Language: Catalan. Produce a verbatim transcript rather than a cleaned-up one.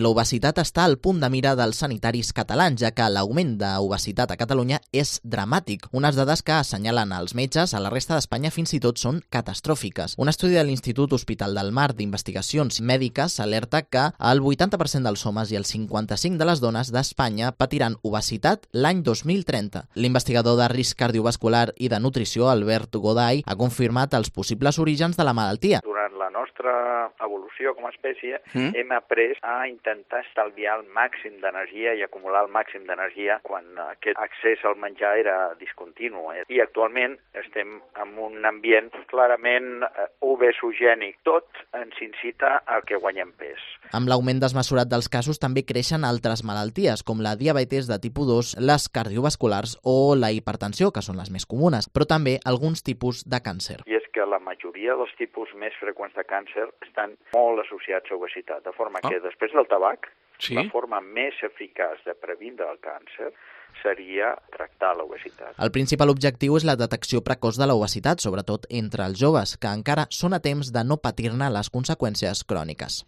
L'obesitat està al punt de mira dels sanitaris catalans, ja que l'augment d'obesitat a Catalunya és dramàtic. Unes dades que assenyalen els metges a la resta d'Espanya fins i tot són catastròfiques. Un estudi de l'Institut Hospital del Mar d'Investigacions Mèdiques alerta que el vuitanta per cent dels homes i el cinquanta-cinc per cent de les dones d'Espanya patiran obesitat l'any dos mil trenta. L'investigador de risc cardiovascular i de nutrició, Albert Goday, ha confirmat els possibles orígens de la malaltia. Durant la nostra evolució com a espècie mm. hem après a intentar estalviar el màxim d'energia i acumular el màxim d'energia quan aquest accés al menjar era discontinu. I actualment estem en un ambient clarament obesogènic. Tot ens incita a que guanyem pes. Amb l'augment desmesurat dels casos també creixen altres malalties, com la diabetis de tipus dos, les cardiovasculars o la hipertensió, que són les més comunes, però també alguns tipus de càncer. I és que la majoria dels tipus més freqüents de càncer estan molt associats a obesitat, de forma que oh. després del tabac, sí? la forma més eficaç de previndre el càncer seria tractar l'obesitat. El principal objectiu és la detecció precoç de l'obesitat, sobretot entre els joves, que encara són a temps de no patir-ne les conseqüències cròniques.